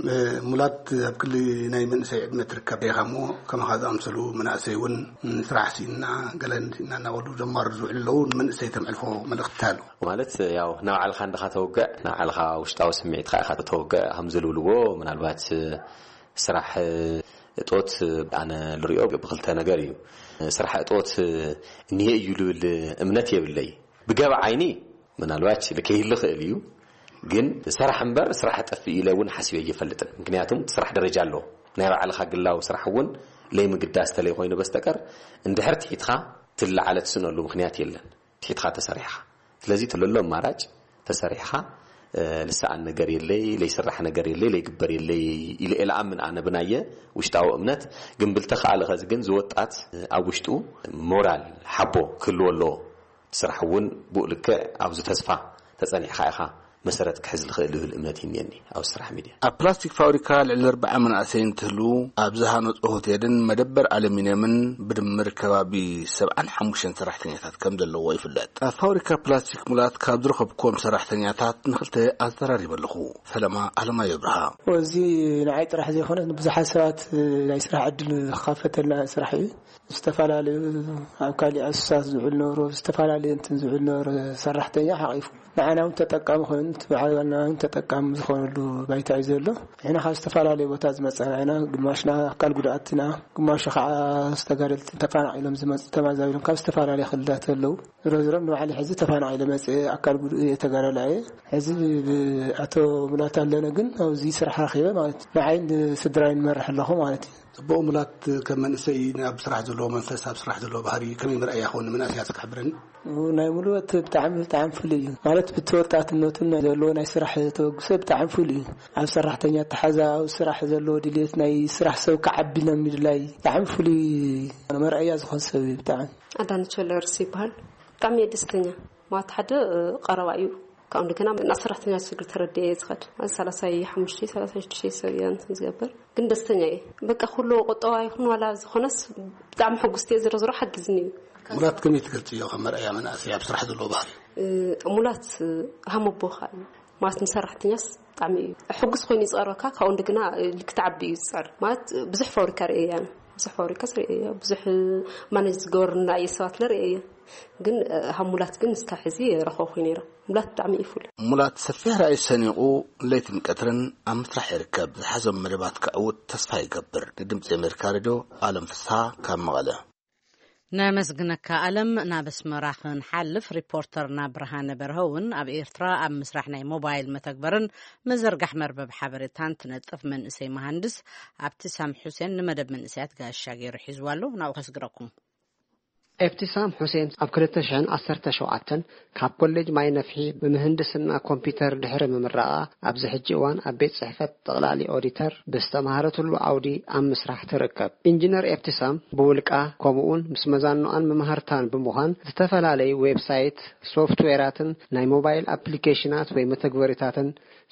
ሙላት ኣብ ክሊ ናይ መንእሰይ ዕድመ ትርከብ ኢኻ እሞ ከማኻ ዝኣምሰሉ መናእሰይ እውን ስራሕ ሲና ገለ ሲና እናበሉ ዘማሩ ዝውዕሉ ኣለዉ ንመንእሰይ ተምዕልፎ መልእኽቲ ኣሎ ማለት ያው ናብ ዓልኻ እንድኻ ተወግዕ ናብ ዓልኻ ውሽጣዊ ስምዒትካ ኢኻ ተወግዕ ከም ዝልብልዎ ምናልባት ስራሕ እጦት ኣነ ልሪኦ ብክልተ ነገር እዩ። ስራሕ እጦት እኒሄ እዩ ልብል እምነት የብለይ። ብገብ ዓይኒ ምናልባች ልከይህል ይኽእል እዩ፣ ግን ሰራሕ እምበር ስራሕ ጠፍእ ኢለ እውን ሓሲበ እየፈልጥን። ምክንያቱም ስራሕ ደረጃ ኣለዎ። ናይ ባዕልኻ ግላዊ ስራሕ እውን ለይምግዳስ ተለይ ኮይኑ በስተቀር እንድሕር ትሒትኻ ትለዓለ ትስነሉ ምክንያት የለን። ትሒትኻ ተሰሪሕኻ። ስለዚ ትለሎ ኣማራጭ ተሰሪሕኻ፣ እ፣ ልሰኣን ነገር የለይ፣ ለይስራሕ ነገር የለይ፣ ለይግበር የለይ ኢለ እየ ልኣምን ኣነ ብናየ ውሽጣዊ እምነት። ግን ብልተኸኣለ ኸዚ ግን ዝወጣት ኣብ ውሽጡ ሞራል ሓቦ ክህልዎ ኣለዎ። ስራሕ እውን ብኡ ልክዕ ኣብዚ ተስፋ ተጸኒዕኻ ኢኻ መሰረት ክሕዝ ዝኽእል ዝብል እምነት ይንየኒ ኣብ ስራሕ ሚድያ። ኣብ ፕላስቲክ ፋብሪካ ልዕሊ ኣርባዓ መናእሰይ እንትህልዉ፣ ኣብ ዝሃነጾ ሆቴልን መደበር ኣሉሚንየምን ብድምር ከባቢ ሰብዓን ሓሙሽተን ሰራሕተኛታት ከም ዘለውዎ ይፍለጥ። ኣብ ፋብሪካ ፕላስቲክ ሙላት ካብ ዝረኸብኩዎም ሰራሕተኛታት ንኽልተ ኣዘራሪበ ኣለኹ። ፈለማ ኣለማዮ ብርሃ። እዚ ንዓይ ጥራሕ ዘይኮነ ንብዙሓት ሰባት ናይ ስራሕ ዕድል ዝኸፈተልና ስራሕ እዩ። ዝተፈላለዩ ኣብ ካሊእ ኣሱሳት ዝውዕል ነበሩ፣ ዝተፈላለዩ እንትን ዝውዕል ነበሩ ሰራሕተኛ ሓቒፉ። ንዓና እውን ተጠቃሚ ኮይኑ፣ እቲ በዓል ዋና እውን ተጠቃሚ ዝኾነሉ ባይታ እዩ ዘሎ። ንሕና ካብ ዝተፈላለዩ ቦታ ዝመጸና ኢና። ግማሽና ኣካል ጉድኣትና፣ ግማሹ ከዓ ዝተጋደልቲ ተፈናቒሎም ዝመጹ ተማዛቢሎም ካብ ዝተፈላለዩ ክልላት ኣለዉ። ዝሮ ዝሮ ንባዕሊ ሕዚ ተፈናቒለ መጽእ ኣካል ጉድ-፣ ተጋዳላይ እየ። ሕዚ ብ-፣ ኣቶ ሙላት ኣለነ ግን ኣብዚ ስራሕ ረኺበ ማለት እዩ። ንዓይ ንስድራይ ንመርሕ ኣለኹ ማለት እዩ። ጽቡቕ። ሙላት፣ ከም መንእሰይ ኣብ ስራሕ ዘለዎ መንፈስ፣ ኣብ ስራሕ ዘለዎ ባህሪ ከመይ ምርኣያ ክኸውን ንመናእሰያት ክሕብረኒ? ናይ ሙሉወት ብጣዕሚ፣ ብጣዕሚ ፍሉይ እዩ። ማለት ብቲ ወጣትነቱን ናይ ዘለዎ ናይ ስራሕ ተበግሶ ብጣዕሚ ፍሉይ እዩ። ኣብ ሰራሕተኛ ኣተሓዛ፣ ኣብ ስራሕ ዘለዎ ድልየት፣ ናይ ስራሕ ሰብ ክዓቢ ናይ ምድላይ ብጣዕሚ ፍሉይ መርኣያ ዝኾን ሰብ እዩ ብጣዕሚ። ኣዳነች ወልደየርስ ይበሃል። ብጣዕሚ እየ ደስተኛ። ማለት ሓደ፣ እ፣ ቀረባ እዩ። ካብኡ እንደገና ናብ ሰራሕተኛ ችግር ተረዲኤ እየ ዝኸድ። ማለት ሰላሳይ ሓሙሽተ፣ ሰላሳይ ሽዱሽተ ሰብ እየ እንትን ዝገብር። ግን ደስተኛ እየ። በቃ ኩሉ ቁጠባ ይኹን ዋላ ዝኾነስ ብጣዕሚ ሕጉስቲ እየ። ዝሮ ዝሮ ሓጊዝኒ እዩ። ሙላት ከመይ ትገልጽዮ ከም መርኣያ መናእሰይ ኣብ ስራሕ ዘለዎ ባህሪ? እ፣ ሙላት፣ እ፣ ሃመቦኻ እዩ። ማለት ንሰራሕተኛስ ብጣዕሚ እዩ ሕጉስ ኮይኑ ይጸረካ። ካብኡ እንደገና፣ እ፣ ልክትዓቢ እዩ ዝጸር። ማለት ብዙሕ ፋብሪካ ርእየ እየ ኣነ። ብዙሕ ፋብሪካስ ርእየ እየ። ብዙሕ ማኔጅ ዝገበሩና እየ ሰባት ለርእየ እየ። ግን፣ እ፣ ሃብ ሙላት ግን እስካብ ሕዚ ረኸብኩ ነይረ። ሙላት ብጣዕሚ እዩ ፍሉይ። ሙላት ሰፊሕ ራእይ ሰኒቑ ለይትን ቀትርን ኣብ ምስራሕ ይርከብ። ዝሓዞም መደባት ከዕውት ተስፋ ይገብር። ንድምጺ ኣሜሪካ ሬድዮ ኣለም ፍስሃ ካብ መቐለ። ነመስግነካ ኣለም። ናብ ኣስመራ ክንሓልፍ ሪፖርተርና ብርሃነ በርሀ እውን ኣብ ኤርትራ ኣብ ምስራሕ ናይ ሞባይል መተግበርን ምዝርጋሕ መርበብ ሓበሬታን ትነጥፍ መንእሰይ መሃንድስ ኣብቲ ሳም ሑሴን ንመደብ መንእሰያት ጋሻ ገይሩ ሒዝዋ ኣሎ። ናብኡ ከስግረኩም። ኤብቲሳም ሑሴን ኣብ ክልተ ሽሕን ዓሰርተ ሸውዓተን ካብ ኮሌጅ ማይ ነፍሒ ብምህንድስና ኮምፒውተር ድሕሪ ምምራቓ፣ ኣብዚ ሕጂ እዋን ኣብ ቤት ጽሕፈት ጠቕላሊ ኦዲተር ብዝተማህረትሉ ዓውዲ ኣብ ምስራሕ ትርከብ። ኢንጂነር ኤብቲሳም ብውልቃ፣ ከምኡውን ምስ መዛኖኣን መማህርታን ብምዃን ዝተፈላለዩ ዌብሳይት፣ ሶፍትዌራትን ናይ ሞባይል ኣፕሊኬሽናት ወይ መተግበሪታትን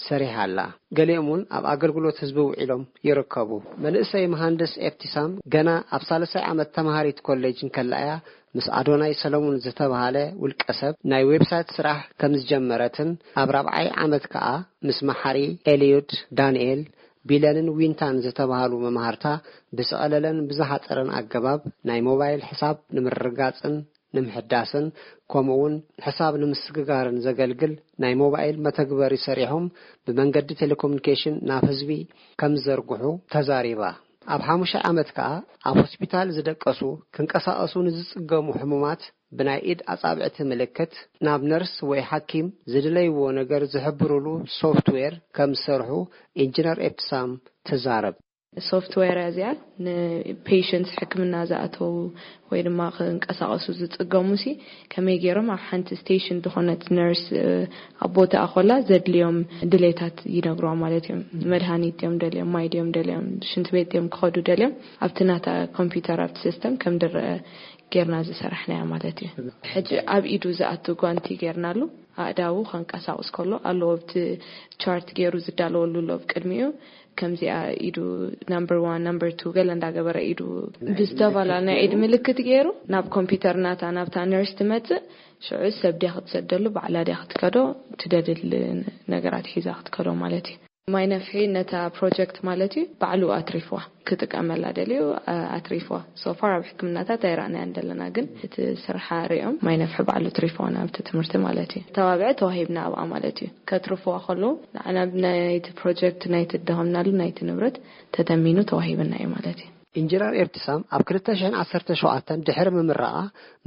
ሰሪሓ ኣላ። ገሊኦም እውን ኣብ ኣገልግሎት ህዝቢ ውዒሎም ይርከቡ። መንእሰይ መሃንድስ ኤብቲሳም ገና ኣብ ሳልሳይ ዓመት ተማሃሪት ኮሌጅ እንከላ እያ ምስ ኣዶናይ ሰለሙን ዝተባሃለ ውልቀ ሰብ ናይ ዌብሳይት ስራሕ ከም ዝጀመረትን ኣብ ራብዓይ ዓመት ከኣ ምስ መሓሪ ኤልዩድ፣ ዳንኤል፣ ቢለንን ዊንታን ዝተባሃሉ መማህርታ ብዝቐለለን ብዝሓጸረን ኣገባብ ናይ ሞባይል ሕሳብ ንምርግጋጽን ንምሕዳስን ከምኡውን ሕሳብ ንምስግጋርን ዘገልግል ናይ ሞባይል መተግበሪ ሰሪሖም ብመንገዲ ቴሌኮሙኒኬሽን ናብ ህዝቢ ከም ዝዘርግሑ ተዛሪባ። ኣብ ሓሙሻይ ዓመት ከኣ ኣብ ሆስፒታል ዝደቀሱ፣ ክንቀሳቐሱ ንዝጽገሙ ሕሙማት ብናይ ኢድ ኣጻብዕቲ ምልክት ናብ ነርስ ወይ ሓኪም ዝድለይዎ ነገር ዝሕብሩሉ ሶፍትዌር ከም ዝሰርሑ ኢንጂነር ኤብትሳም ትዛረብ። ሶፍትዌር እዚኣ ንፔሸንትስ ሕክምና ዝኣተዉ ወይ ድማ ክንቀሳቐሱ ዝጽገሙ ሲ ከመይ ገይሮም ኣብ ሓንቲ ስቴሽን ዝኾነት ነርስ፣ እ፣ ኣብ ቦታኣ ኮላ ዘድልዮም ድሌታት ይነግርዋ ማለት እዮም። መድሃኒት ድዮም ደልዮም፣ ማይ ድዮም ደልዮም፣ ሽንቲ ቤት ድዮም ክኸዱ ደልዮም፣ ኣብቲ ናታ ኮምፒውተር ኣብቲ ሲስተም ከም ድረአ ጌርና ዝሰራሕናያ ማለት እዩ። ሕጂ ኣብ ኢዱ ዝኣቱ ጓንቲ ጌርናሉ፣ ኣእዳዉ ከንቀሳቕስ ከሎ ኣለዎ፣ ኣብቲ ቻርት ገይሩ ዝዳለወሉ ኣሎ ኣብ ቅድሚኡ። ከምዚኣ ኢዱ ናምበር ዋን፣ ናምበር ቱ ገለ እንዳገበረ ኢዱ ብዝተፈላለየ ናይ ኢድ ምልክት ገይሩ ናብ ኮምፒውተር ናታ፣ ናብታ ነርስ ትመጽእ። ሽዑ ሰብ ድያ ክትሰደሉ፣ ባዕላ ድያ ክትከዶ፣ ትደልል ነገራት ሒዛ ክትከዶ ማለት እዩ። ማይ ነፍሒ ነታ ፕሮጀክት ማለት እዩ ባዕሉ ኣትሪፍዋ። ክጥቀመላ ደልዩ ኣትሪፍዋ። ሶፋር ኣብ ሕክምናታት ኣይረኣናያን ዘለና፣ ግን እቲ ስርሓ ሪኦም ማይ ነፍሒ ባዕሉ ኣትሪፍዋ ናብቲ ትምህርቲ ማለት እዩ። ተባብዐ ተዋሂብና ኣብኣ ማለት እዩ። ከትርፍዋ ከለዉ ንዓና ብናይቲ ፕሮጀክት ናይቲ ደኸምናሉ ናይቲ ንብረት ተተሚኑ ተዋሂብና እዩ ማለት እዩ። ኢንጂነር ኤብትሳም ኣብ ክልተ ሽሕን ዓሰርተ ሸውዓተን ድሕሪ ምምራቓ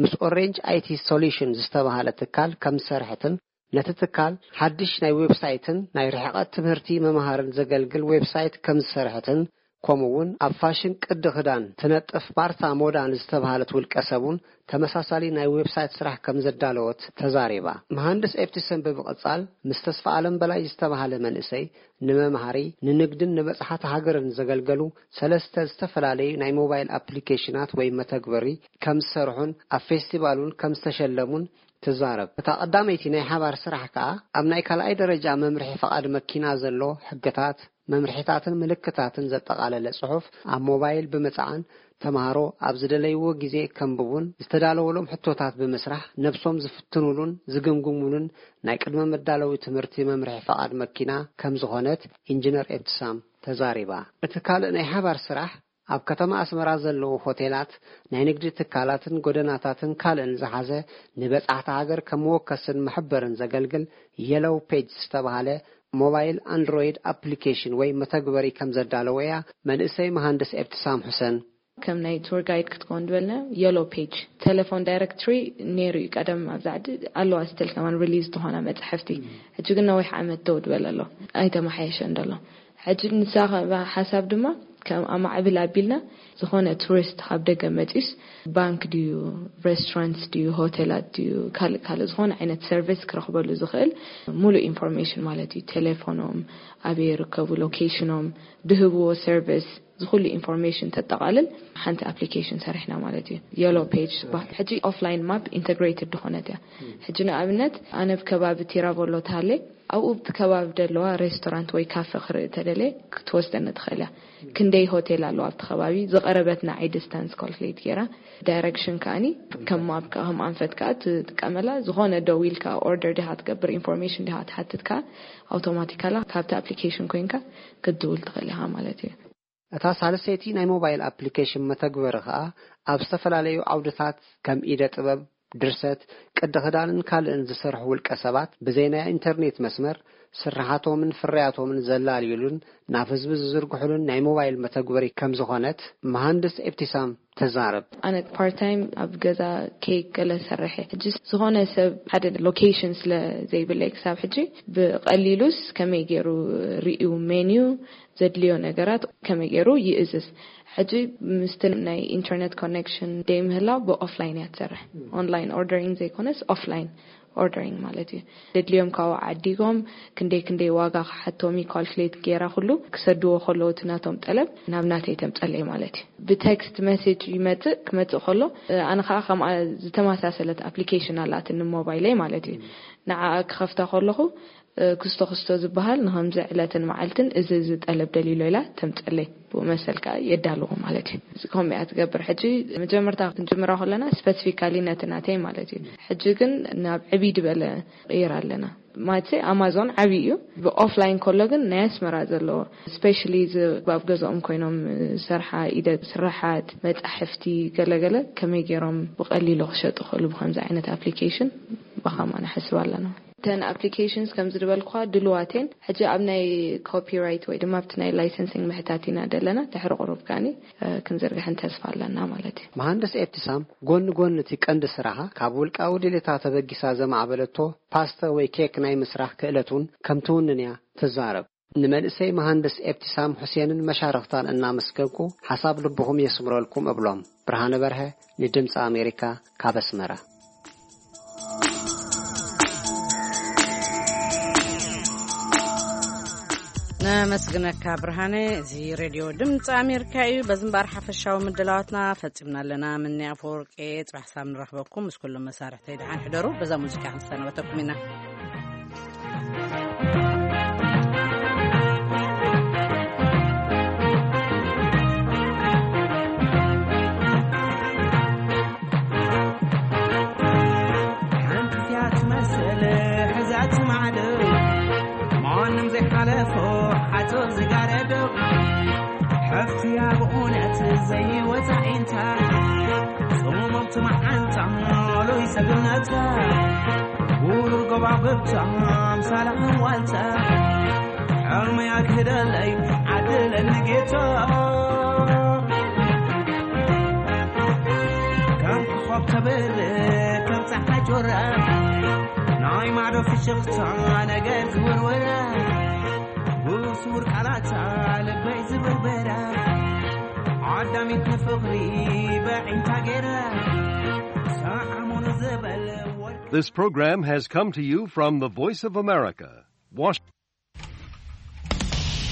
ምስ ኦሬንጅ ኣይቲ ሶሉሽን ዝተባህለ ትካል ከም ዝሰርሐትን ነቲ ትካል ሓድሽ ናይ ዌብሳይትን ናይ ርሕቐት ትምህርቲ መምሃርን ዘገልግል ዌብሳይት ከም ዝሰርሐትን ከምኡ እውን ኣብ ፋሽን ቅዲ ክዳን ትነጥፍ ማርታ ሞዳ ንዝተባህለት ውልቀ ሰብ እውን ተመሳሳሊ ናይ ዌብሳይት ስራሕ ከም ዘዳለወት ተዛሪባ። መሃንድስ ኤፕቲሰን ብምቕጻል ምስ ተስፋ ኣለም በላይ ዝተባህለ መንእሰይ ንመምሃሪ፣ ንንግድን ንበጽሓት ሃገርን ዘገልገሉ ሰለስተ ዝተፈላለዩ ናይ ሞባይል ኣፕሊኬሽናት ወይ መተግበሪ ከም ዝሰርሑን ኣብ ፌስቲቫል እውን ከም ዝተሸለሙን ትዛረብ። እታ ቀዳመይቲ ናይ ሓባር ስራሕ ከኣ ኣብ ናይ ካልኣይ ደረጃ መምርሒ ፈቓድ መኪና ዘሎ ሕግታት፣ መምርሒታትን ምልክታትን ዘጠቓለለ ጽሑፍ ኣብ ሞባይል ብምጽዓን ተምሃሮ ኣብ ዝደለይዎ ግዜ ከንብቡን ዝተዳለወሎም ሕቶታት ብምስራሕ ነብሶም ዝፍትኑሉን ዝግምግሙሉን ናይ ቅድመ መዳለዊ ትምህርቲ መምርሒ ፈቓድ መኪና ከም ዝኾነት ኢንጂነር ኤብትሳም ተዛሪባ። እቲ ካልእ ናይ ሓባር ስራሕ ኣብ ከተማ ኣስመራ ዘለዉ ሆቴላት፣ ናይ ንግዲ ትካላትን ጎደናታትን ካልእን ዝሓዘ ንበጻሕቲ ሃገር ከም መወከስን መሐበርን ዘገልግል የሎው ፔጅ ዝተባህለ ሞባይል ኣንድሮይድ ኣፕሊኬሽን ወይ መተግበሪ ከም ዘዳለወ እያ መንእሰይ መሃንድስ ኤብትሳም ሑሰን። ከም ናይ ቱር ጋይድ ክትከውን ዝበልና የሎ ፔጅ ቴሌፎን ዳይሬክትሪ ነይሩ እዩ ቀደም። ኣብዚ ዓዲ ኣለዋ ስትል ከማን ሪሊዝ ዝኾና መፅሕፍቲ። ሕጂ ግን ነዊሕ ዓመት ደው ዝበለ ኣሎ፣ ኣይተመሓየሸን ዘሎ። ሕጂ ንሳ ከ-፣ ሓሳብ ድማ ከም ኣማዕብል ኣቢልና ዝኾነ ቱሪስት ካብ ደገ መፂስ ባንክ ድዩ፣ ሬስቶራንት ድዩ፣ ሆቴላት ድዩ፣ ካልእ ካልእ ዝኾነ ዓይነት ሰርቪስ ክረኽበሉ ዝኽእል ሙሉእ ኢንፎርሜሽን ማለት እዩ። ቴሌፎኖም፣ ኣበይ ይርከቡ፣ ሎኬሽኖም፣ ድህብዎ ሰርቪስ፣ ዝኹሉ ኢንፎርሜሽን ተጠቓልል ሓንቲ ኣፕሊኬሽን ሰሪሕና ማለት እዩ። የሎ ፔጅ ዝበሃል ሕጂ ኦፍላይን ማፕ ኢንተግሬትድ ዝኾነት እያ። ሕጂ ንኣብነት ኣነ ኣብ ከባቢ ቲራቮሎ ተሃለ ኣብኡ ኣብቲ ከባቢ ዘለዋ ሬስቶራንት ወይ ካፈ ክርኢ ተደልየ ክትወስደኒ ትኽእል እያ። ክንደይ ሆቴል ኣለዋ ኣብቲ ከባቢ፣ ዝቐረበት ንዓይ ዲስታንስ ካልኩሌት ገይራ፣ ዳይሬክሽን ከኣኒ ከም ማፕ ከኣ ከም ኣንፈት ከኣ ትጥቀመላ። ዝኾነ ደው ኢልካ ኦርደር ዲኻ ትገብር፣ ኢንፎርሜሽን ዲኻ ትሓትት ከኣ ኣውቶማቲካላ ካብቲ ኣፕሊኬሽን ኮይንካ ክትድውል ትኽእል ኢኻ ማለት እዩ። እታ ሳልሰይቲ ናይ ሞባይል ኣፕሊኬሽን መተግበሪ ከኣ ኣብ ዝተፈላለዩ ዓውድታት ከም ኢደ ጥበብ፣ ድርሰት፣ ቅዲ ክዳንን ካልእን ዝሰርሑ ውልቀ ሰባት ብዘይ ናይ ኢንተርኔት መስመር ስርሓቶምን ፍርያቶምን ዘላልዩሉን ናብ ህዝቢ ዝዝርግሑሉን ናይ ሞባይል መተግበሪ ከም ዝኾነት መሃንድስ ኤብቲሳም ተዛረብ። ኣነ ፓርት ታይም ኣብ ገዛ ኬክ ገለ ሰርሐ። ሕጂ ዝኾነ ሰብ ሓደ ሎኬሽን ስለ ዘይብለይ ክሳብ ሕጂ ብቐሊሉስ ከመይ ገይሩ ሪኡ ሜንዩ ዘድልዮ ነገራት ከመይ ገይሩ ይእዝዝ። ሕጂ ምስቲ ናይ ኢንተርኔት ኮኔክሽን ደይ ምህላው ብኦፍላይን እያ ትሰርሕ። ኦንላይን ኦርደሪንግ ዘይኮነስ ኦፍላይን ኦርደሪንግ ማለት እዩ። ዘድልዮም ካብኡ ዓዲጎም ክንደይ ክንደይ ዋጋ ክሓቶም እዩ ካልኩሌት ገይራ ኩሉ ክሰድዎ ከለዉ እቲ ናቶም ጠለብ ናብ ናተይ ተምጸለይ ማለት እዩ። ብቴክስት ሜሴጅ ይመጽእ፣ ክመጽእ ከሎ ኣነ ከዓ ከምኣ ዝተመሳሰለት ኣፕሊኬሽን ኣላትኒ ሞባይለይ ማለት እዩ። ንዓኣ ክኸፍታ ከለኹ ክስቶ ክስቶ ዝበሃል ንኸምዚ ዕለትን መዓልትን እዚ እዚ ጠለብ ደሊሎ ኢላ ተምጸለይ። ብኡ መሰል ከኣ የዳልዎ ማለት እዩ። እዚ ከምኡ እያ ትገብር። ሕጂ መጀመርታ ክንጅምራ ከለና ስፐሲፊካሊ ነቲ ናተይ ማለት እዩ። ሕጂ ግን ናብ ዕብይ ዝበለ ቀይር ኣለና። ማለት ኣማዞን ዓብዪ እዩ። ብኦፍላይን ከሎ ግን ናይ ኣስመራ ዘለዎ ስፔሻሊ እዚ ኣብ ገዛኦም ኮይኖም ሰርሓ ኢደ ስራሓት መጻሕፍቲ ገለገለ ከመይ ገይሮም ብቐሊሉ ክሸጡ ክእሉ ብከምዚ ዓይነት ኣፕሊኬሽን ብኸማ ንሓስብ ኣለና። እተን ኣፕሊኬሽንስ ከምዚ ዝበልኳ ድልዋቴን ሕጂ ኣብ ናይ ኮፒራይት ወይ ድማ ኣብቲ ናይ ላይሰንሲንግ ምሕታት ኢና ደለና። ድሕሪ ቁሩብ ከኣኒ ክንዝርግሕን ተስፋ ኣለና ማለት እዩ። መሃንድስ ኤብቲሳም ጎኒ ጎኒ እቲ ቀንዲ ስራሓ ካብ ውልቃዊ ድሌታ ተበጊሳ ዘማዕበለቶ ፓስተ ወይ ኬክ ናይ ምስራሕ ክእለት እውን ከም ትውንን እያ ትዛረብ። ንመንእሰይ መሃንድስ ኤብቲሳም ሁሴንን መሻርኽታን እናመስገንኩ ሓሳብ ልብኹም የስምረልኩም እብሎም። ብርሃነ በርሀ ንድምፂ ኣሜሪካ ካብ ኣስመራ። ነመስግነካ ብርሃነ። እዚ ሬድዮ ድምፂ ኣሜሪካ እዩ። በዚ እምበኣር ሓፈሻዊ ምድላዋትና ፈፂምና ኣለና። ምኒ ኣፈወርቂ፣ ፅባሕ ሳብ ንረኽበኩም። ምስ ኩሎም መሳርሕተይ ደሓን ሕደሩ። በዛ ሙዚቃ ክንሰናበተኩም ኢና። ሓንቲ እያ ትመስል ሕዛት ማዕዶ ማንም ዘይሓለፍ ሓጹር ዝጋረዶ ሓፍትያ ብእውነት ዘይወጻ ኢንታ ጽሙምቲ መዓንታ ሎይ ሰብነታ ውሩር ጎባብብታ ኣምሳላ ዋልታ ሕልመያ ክህደለይ ዓድለኒ ጌታ ከም ኮኾብ ተብር ከም ጸሓይ ጆራ ናይ ማዶ ፍሽኽታ ነገር ዝውርወራ ብስውር ቃላታ ልበይ ዝብርበራ ዓዳሚት ንፍቕሪ በዒንታ ገይራ ሰዓሙን ዝበል ወርቂ This program has come to you from the Voice of America, Washington.